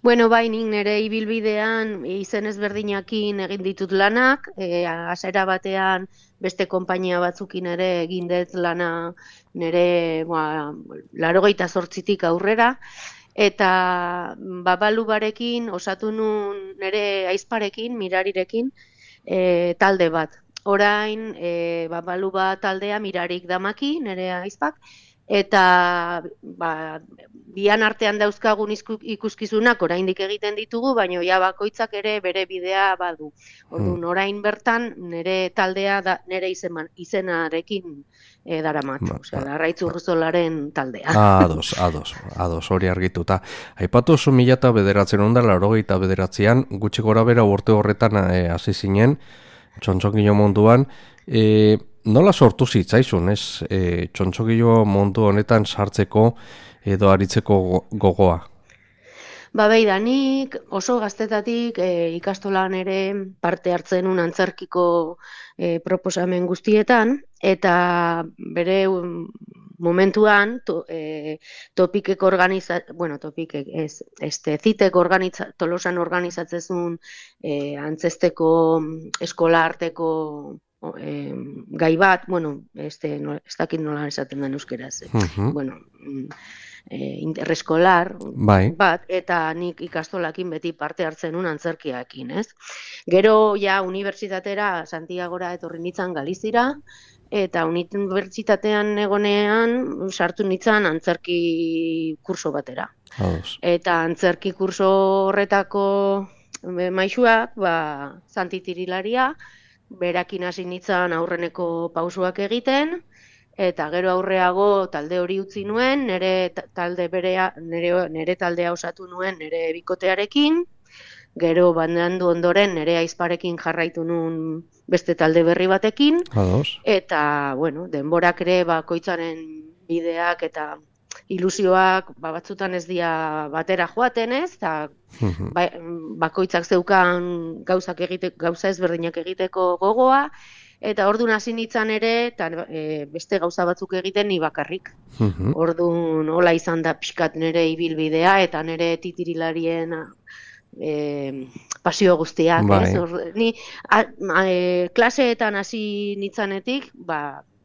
Bueno, bai, nik nire ibilbidean izen ezberdinakin egin ditut lanak, hasiera batean beste konpainia batzukin ere egin dut lana nire 98tik aurrera, eta Babalubarekin osatu nun nire aizparekin, Mirarirekin, talde bat. Orain, Babaluba taldea Mirarik damaki, nire aizpak, eta bian artean dauzkagun ikuskizunak oraindik egiten ditugu, baina ja bakoitzak ere bere bidea badu. Orduan, orain bertan nire taldea nire izenarekin daramat, Larraitz Urruzolaren taldea. Ados, hori argituta. Aipatu zu 1989an, gutxi gorabehera urte horretan hasi zinen, txontxongilo munduan, nola sortu zitzaizun, ez? Txontxongilo mundu honetan sartzeko edo aritzeko gogoa? Nik oso gaztetatik ikastolan ere parte hartzen un antzerkiko proposamen guztietan, eta bere momentuan Topikek Tolosan organizatzezun antzesteko eskola arteko gai bat, ez dakit nola esaten den euskeraz, interreskolar bat, eta nik ikastolakin beti parte hartzen un antzerkiakin, ez? Gero, unibertsitatera Santiagora etorri nintzen Galizira, eta unibertsitatean egonean sartu nintzen antzerki kurso batera. Eta antzerki kurso horretako maisuak, Santi Tirilaria, berakin hasi nintzen aurreneko pausuak egiten, eta gero aurreago talde hori utzi nuen, nire taldea osatu nuen nire bikotearekin, gero bandandu ondoren nire aizparekin jarraitu nuen beste talde berri batekin, eta denborak ere bakoitzaren bideak eta ilusioak batzutan ez dira batera joaten, ez, eta bakoitzak zeukan gauza ezberdinak egiteko gogoa, eta orduan hasi nintzen ere, eta beste gauza batzuk egiten ni bakarrik. Orduan hola izan da pixkat nire ibilbidea, eta nire titirilarien pasio guztiak. Ni klaseetan hasi nintzanetik,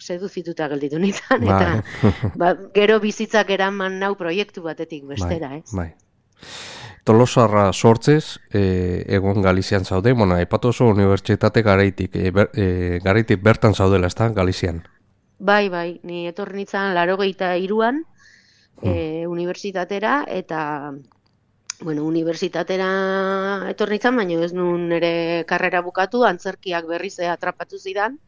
seduzituta gelditu nintzen, eta gero bizitzak eraman nau proiektu batetik bestera, ez? Tolosarra sortzez, egon Galizian zaude, aipatu oso unibertsitate garaitik bertan zaudela, ez da, Galizian? Bai, ni etorri nintzen 83an unibertsitatera, eta unibertsitatera etorri nintzen, baina ez nun nire karrera bukatu, antzerkiak berriz atrapatu zidan,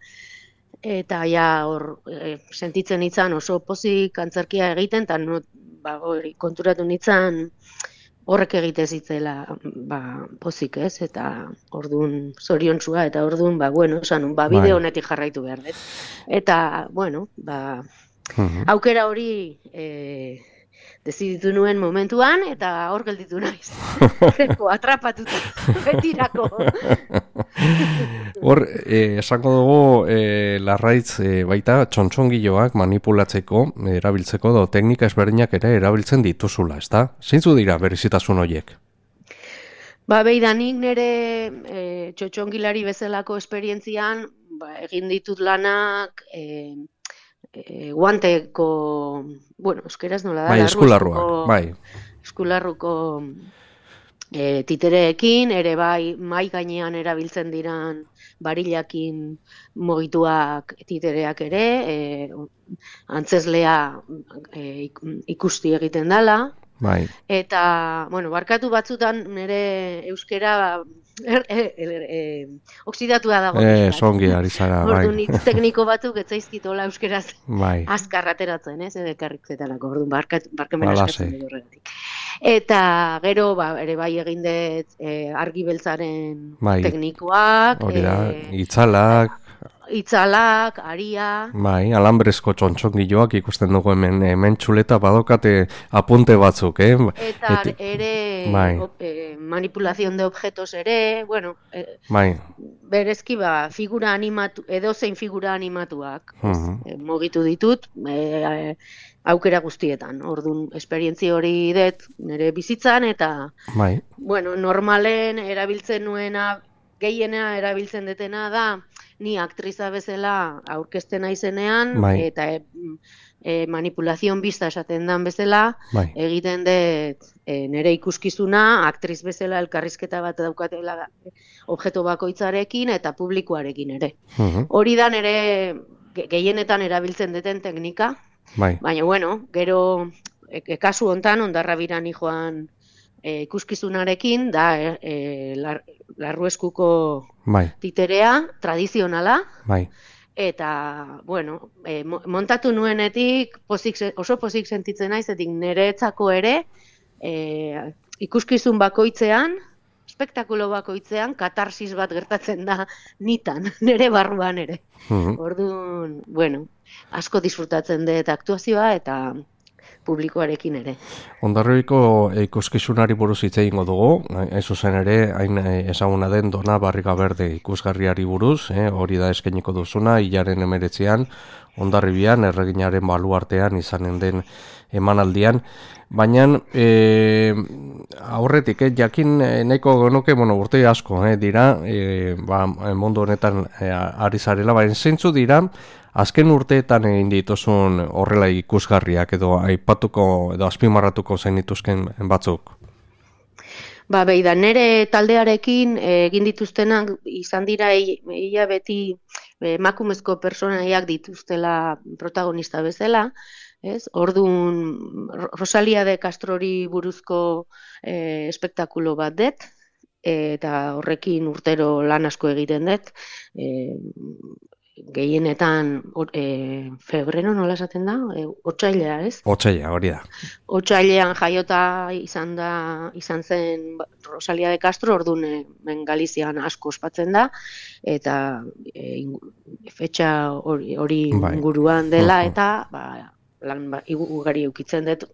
eta hor sentitzen nintzen oso pozik antzerkia egiten, eta konturatu nintzen horrek egite zitzela pozik, ez, eta orduan zoriontsua, eta orduan, bide honetik jarraitu behar dut. Eta, aukera hori deziditu nuen momentuan, eta hor gelditu naiz. Atrapatuta, betirako. Hor, esango dugu, Larraitz baita txontxongiloak manipulatzeko, erabiltzeko, teknika ezberdinak ere erabiltzen dituzula, ez da? Zeintzu dira berezitasun horiek? Nik nire txotxongilari bezalako esperientzian egin ditut lanak guanteko, euskeraz nola da? Eskularruak, eskularruko titereekin, ere mai gainean erabiltzen diran barilakin mogituak titereak ere, antzeslea ikusti egiten dela, eta, barkatu batzutan nire euskera oksidatua dago. Zongi ari zara, Orduan, tekniko batzuk etzaizkitola euskeraz azkar ateratzen, ez, edekarrik zetalako, orduan, barkamen askatzen dugu horregatik. Eta gero, ere egin dut argi beltzaren teknikoak, itzalak, aria. Alambrezko txontxongiloak ikusten dugu hemen txuleta badokate apunte batzuk, Eta ere manipulazion de objetos ere, berezki figura animatu, edozein figura animatuak mugitu ditut, aukera guztietan. Orduan, esperientzia hori dut nire bizitzan, eta bueno, normalen erabiltzen nuena, gehiena erabiltzen detena da, ni aktriza bezala aurkezten naizenean, eta manipulazion bizta esaten dan bezala, egiten dut nire ikuskizuna, aktriz bezala elkarrizketa bat daukatela objektu bakoitzarekin eta publikoarekin ere. Hori da nire gehienetan erabiltzen duten teknika, baina bueno, gero kasu hontan Hondarrabirani joan ikuskizunarekin da Larrueskuko titerea, tradizionala, eta, bueno, montatu nuenetik oso pozik sentitzen naiz, etik niretzako ere ikuskizun bakoitzean, espektakulo bakoitzean, katarsis bat gertatzen da nitan, nire barruan ere. Orduan, bueno, asko disfrutatzen dut aktuazioa eta publikoarekin ere. Hondarribiko ikuskizunari buruz hitz egingo dugu, hain zuzen ere, hain ezaguna den Dona Barriga Berde ikusgarriari buruz, hori da eskainiko duzuna, hilaren 19an, Hondarribian, erreginaren baluartean izanen den emanaldian, baina aurretik, jakin nahiko genuke, urte asko dira, mundu honetan ari zarela, baina zeintzu dira, azken urteetan egin dituzun horrela ikusgarriak edo aipatuko edo azpimarratuko zenituzken batzuk? Beida, nire taldearekin egin dituztenak izan dira ia beti emakumezko pertsonaiak dituztela protagonista bezala, ez? Orduan Rosalia de Castrori buruzko espektakulo bat dut, eta horrekin urtero lan asko egiten dut, gehienetan febrero nola esaten da? Otsailea, ez? Otsailea, hori da. Otsailean jaiota izan zen Rosalia de Castro, orduan Galizian asko ospatzen da, eta fetxa hori inguruan dela, eta lan ugari eukitzen dut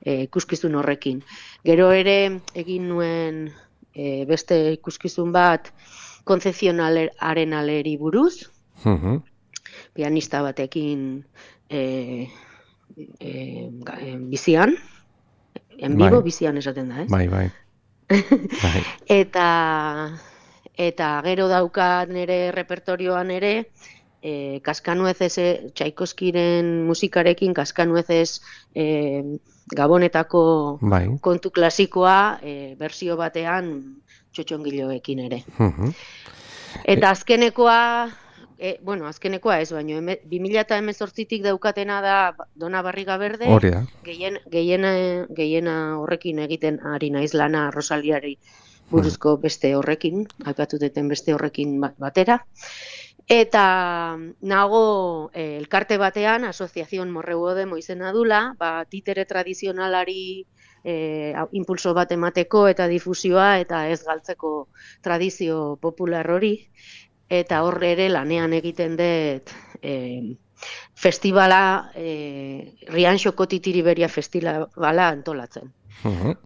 ikuskizun horrekin. Gero ere egin nuen beste ikuskizun bat Concepción Arenalleri buruz, pianista batekin bizian, en vivo bizian esaten da, ez? Bai. Eta gero daukat nire repertorioan ere, Kaskanuezez, Tchaikovskiren musikarekin, Kaskanuezez Gabonetako kontu klasikoa, bersio batean txotxongiloekin ere. Eta azkenekoa ez, baina 2018tik daukatena da Dona Barriga Berde, gehiena horrekin egiten ari naiz lana Rosaliari buruzko beste horrekin, aipatuteten beste horrekin batera. Eta nago elkarte batean, Asociación Morreu de izena dula, titere tradizionalari impulso bat emateko eta difusioa eta ez galtzeko tradizio popular hori, eta horre ere lanean egiten dut festivala, Rianxoko Titiriberia festivala antolatzen.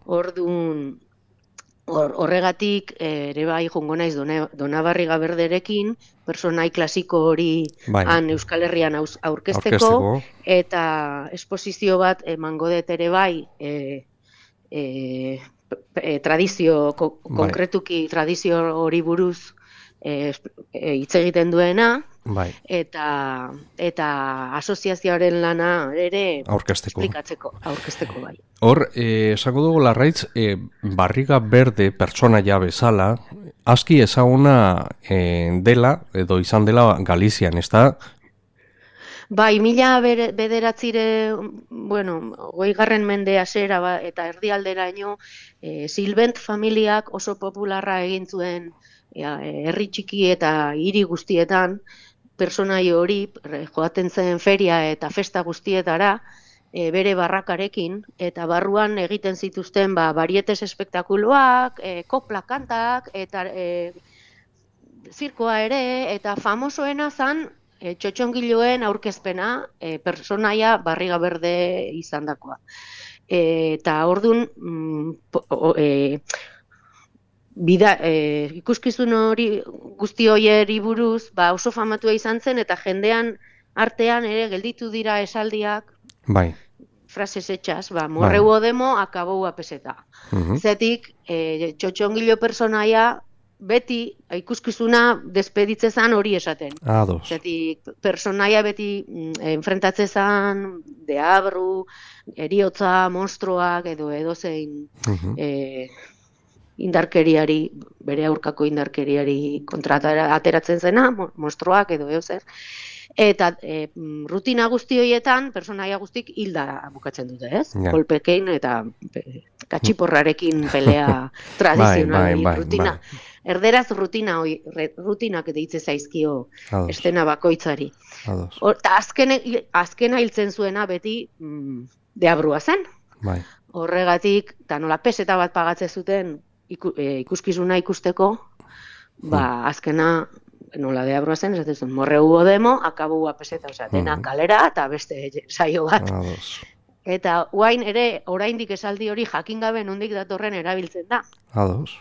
Orduan, horregatik ere bai jongo naiz Dona Barriga Berderekin, personai klasiko hori han Euskal Herrian aurkezteko, eta esposizio bat emango dut ere bai tradizio, konkretuki tradizio hori buruz hitz egiten duena, eta asoziazioaren lana ere aurkezteko bai. Hor, esango dugu Larraitz, Barriga Berde pertsonaia bezala, aski ezaguna dela, edo izan dela Galizian, ez da? Bai, 1909, 20. mende hasera eta erdialderaino, Silbent familiak oso popularra egin zuen herri txiki eta hiri guztietan, personai hori joaten zen feria eta festa guztietara, bere barrakarekin, eta barruan egiten zituzten barietes espektakuloak, kopla kantak, eta zirkoa ere, eta famosoena zan txotxongiloen aurkezpena, personaia Barriga Berde izandakoa. Eta orduan ikuskizun hori guzti horieri buruz, ba, oso famatua izan zen, eta jendean artean ere gelditu dira esaldiak, Bai. frases hechas, ba, morreu odemo, akabou a peseta. Zetik, txotxongilo personaia beti ikuskizuna despeditzezan hori esaten. Ados. Zetik, personaia beti enfrentatzezan deabru, eriotza, monstruak edo zein indarkeriari, bere aurkako indarkeriari kontratara ateratzen zena, monstruak edo zer. Eta rutina guzti horietan, personaia guztik hilda bukatzen dute, ez? Kolpekein eta katxiporrarekin pelea tradizional rutina. Erderaz rutinak deitze zaizkio estena bakoitzari. Eta azkena hiltzen zuena beti deabrua zen. Horregatik, eta nola peseta bat pagatze zuten ikuskizuna ikusteko, ba, azkena nola deabrua zen, esaten zuen, morreu odemo, akabou a peseta, osea, dena kalera eta beste saio bat. Eta oraindik esaldi hori jakin gabe nondik datorren erabiltzen da. Ados.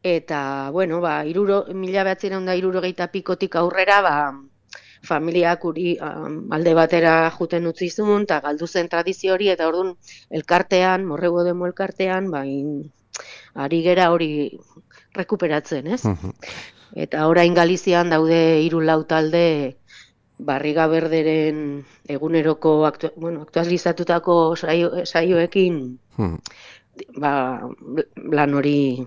Eta, bueno, ba, 1960 pikotik aurrera, ba, familiak uri alde batera juten utzizun, eta galdu zen tradizio hori, eta orduan elkartean, morreu odemo elkartean, ba, ari gera hori rekuperatzen, ez? Eta orain Galizian daude 3-4 talde Barriga Berderen eguneroko aktualizatutako saioekin lan hori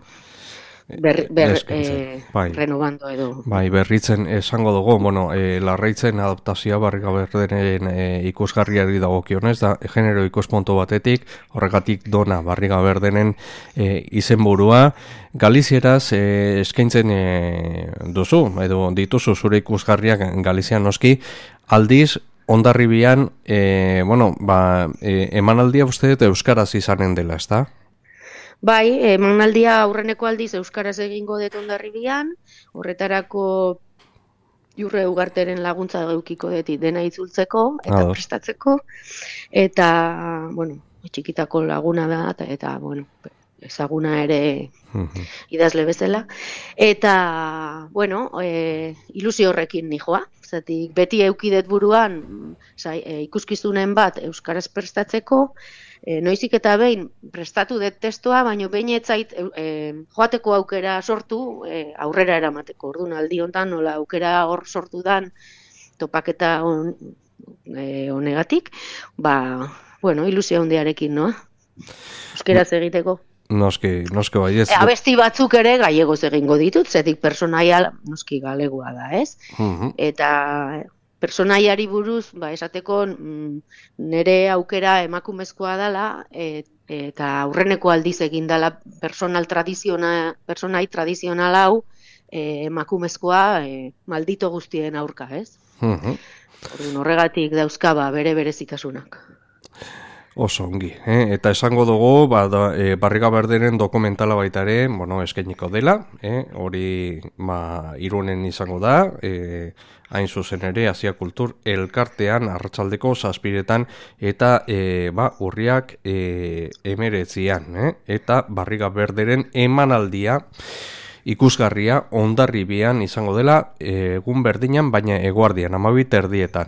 renovando edo. Bai, berritzen esango dugu, Larraitzen adaptazioa Barriga Berderen ikusgarriari dagokionez, da genero ikuspuntu batetik, horregatik dona Barriga Berderen izenburua. Galizieraz eskaintzen duzu, edo dituzu zure ikusgarriak Galizian noski, aldiz, Hondarribian, emanaldia uste dut euskaraz izanen dela, ezta? Bai, emanaldia aurreneko aldiz euskaraz egingo dut Hondarribian, horretarako Jurre Ugarteren laguntza edukiko dut dena itzultzeko eta prestatzeko, eta, txikitako laguna da, eta, ezaguna ere idazle bezala, eta, ilusio horrekin nijoa, zatik beti eukidet buruan ikuskizunen bat euskaraz prestatzeko, noizik eta behin prestatu dut testua, baina behin etzait joateko aukera sortu aurrera eramateko. Orduan aldi honetan nola aukera hor sortu dan topaketa honegatik, ilusio handiarekin, noa? Euskeraz egiteko. Noski bai ez. Abesti batzuk ere gallegoz egingo ditut, zetik personaia noski galegua da, ez? Eta personaiari buruz, esateko nire aukera emakumezkoa dela, eta aurreneko aldiz egin dela personai tradizional hau emakumezkoa maldito guztien aurka, ez? Horregatik dauzka bere berezitasunak. Oso ongi, eta esango dugu, Barriga Berderen dokumentala baita ere, eskainiko dela, hori Irunen izango da, hain zuzen ere, Asia Kultur elkartean, arratsaldeko 7:00 eta urriak 19, eta Barriga Berderen emanaldia, ikusgarria Hondarribian izango dela egun berdinan, baina eguardian, 12:00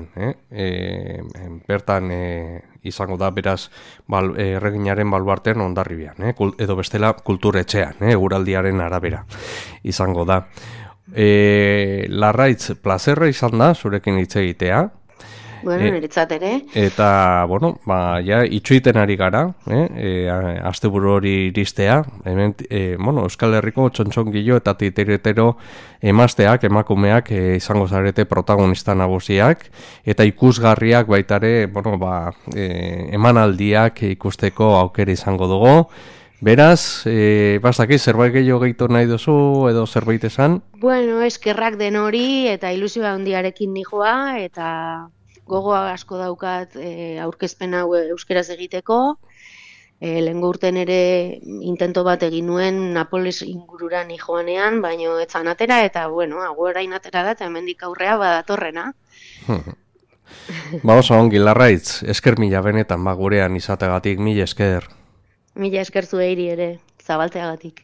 bertan izango da, beraz, erreginaren baluartean Hondarribian, edo bestela kulturetxean, eguraldiaren arabera izango da. Larraitz, plazerra izan da, zurekin hitz egitea. Niretzat ere. Eta, itxuiten ari gara, asteburu hori iristea, hemen, Euskal Herriko txontxongilo eta titeretero emazteak, emakumeak izango zarete protagonista nagusiak, eta ikusgarriak baitare, emanaldiak ikusteko aukera izango dugu. Beraz, bastakit, zerbait gehiago gehitu nahi duzu edo zerbait esan? Eskerrak den hori eta ilusioa handiarekin nijoa, eta gogoa asko daukat aurkezpen hau euskeraz egiteko. Lehengo urten ere intento bat egin nuen Napoles ingurura nijoanean, baino etzan atera, eta orain atera da, eta hemendik aurrea badatorrena. Oso ongi, Larraitz, esker mila benetan gurean izategatik, mila esker. Mila esker zueiri ere, zabaltzeagatik.